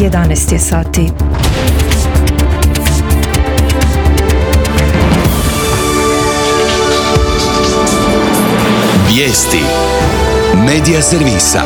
11 je sati. Vijesti Medija servisa.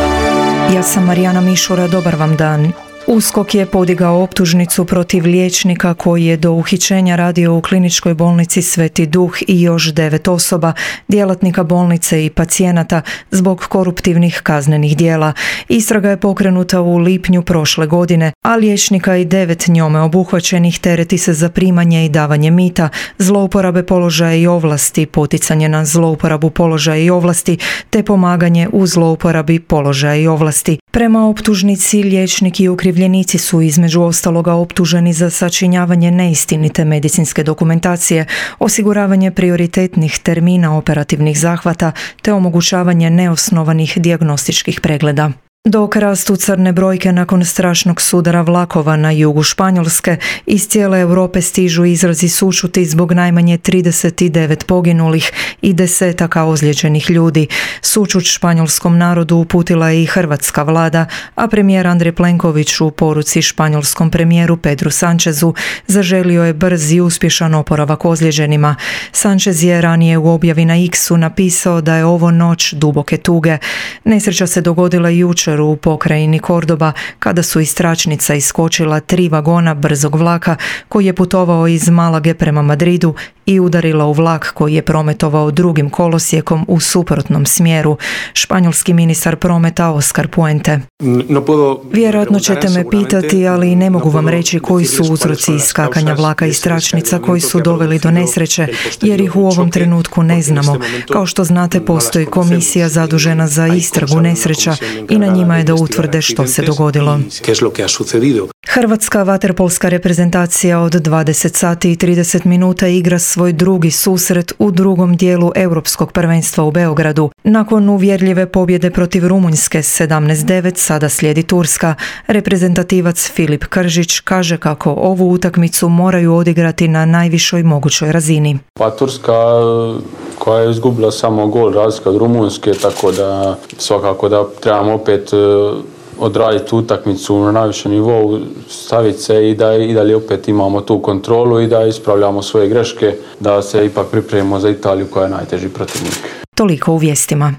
Ja sam Marijana Mišura, dobar vam dan. USKOK je podigao optužnicu protiv liječnika koji je do uhićenja radio u kliničkoj bolnici Sveti Duh i još 9 osoba, djelatnika bolnice i pacijenata zbog koruptivnih kaznenih djela. Istraga je pokrenuta u lipnju prošle godine, a liječnika i 9 njome obuhvaćenih tereti se za primanje i davanje mita, zlouporabe položaja i ovlasti, poticanje na zlouporabu položaja i ovlasti, te pomaganje u zlouporabi položaja i ovlasti. Prema optužnici, liječnik i okrivljenici su između ostaloga optuženi za sačinjavanje neistinite medicinske dokumentacije, osiguravanje prioritetnih termina operativnih zahvata te omogućavanje neosnovanih dijagnostičkih pregleda. Dok rastu crne brojke nakon strašnog sudara vlakova na jugu Španjolske, iz cijele Europe stižu izrazi sućuti zbog najmanje 39 poginulih i desetaka ozlijeđenih ljudi. Sućut španjolskom narodu uputila je i hrvatska vlada, a premijer Andrej Plenković u poruci španjolskom premijeru Pedru Sanchezu zaželio je brz i uspješan oporavak ozlijeđenima. Sanchez je ranije u objavi na X-u napisao da je ovo noć duboke tuge. Nesreća se dogodila jučer u pokrajini Kordoba kada su iz tračnica iskočila 3 vagona brzog vlaka koji je putovao iz Malage prema Madridu i udarila u vlak koji je prometovao drugim kolosijekom u suprotnom smjeru. Španjolski ministar prometa Oscar Puente. Vjerojatno ćete me pitati, ali ne mogu vam reći koji su uzroci iskakanja vlaka iz tračnica koji su doveli do nesreće, jer ih u ovom trenutku ne znamo. Kao što znate, postoji komisija zadužena za istragu nesreća i na njima je da utvrde što se dogodilo. Hrvatska vaterpolska reprezentacija od 20 sati i 30 minuta igra svoj drugi susret u drugom dijelu Europskog prvenstva u Beogradu. Nakon uvjerljive pobjede protiv Rumunjske 17-9 sada slijedi Turska. Reprezentativac Filip Kržić kaže kako ovu utakmicu moraju odigrati na najvišoj mogućoj razini. Pa Turska koja je izgubila samo gol razlika od Rumunjske, tako da svakako da trebamo opet odraditi utakmicu na najvišem nivou, staviti se i dalje opet imamo tu kontrolu i da ispravljamo svoje greške, da se ipak pripremimo za Italiju koja je najteži protivnik. Toliko u vijestima.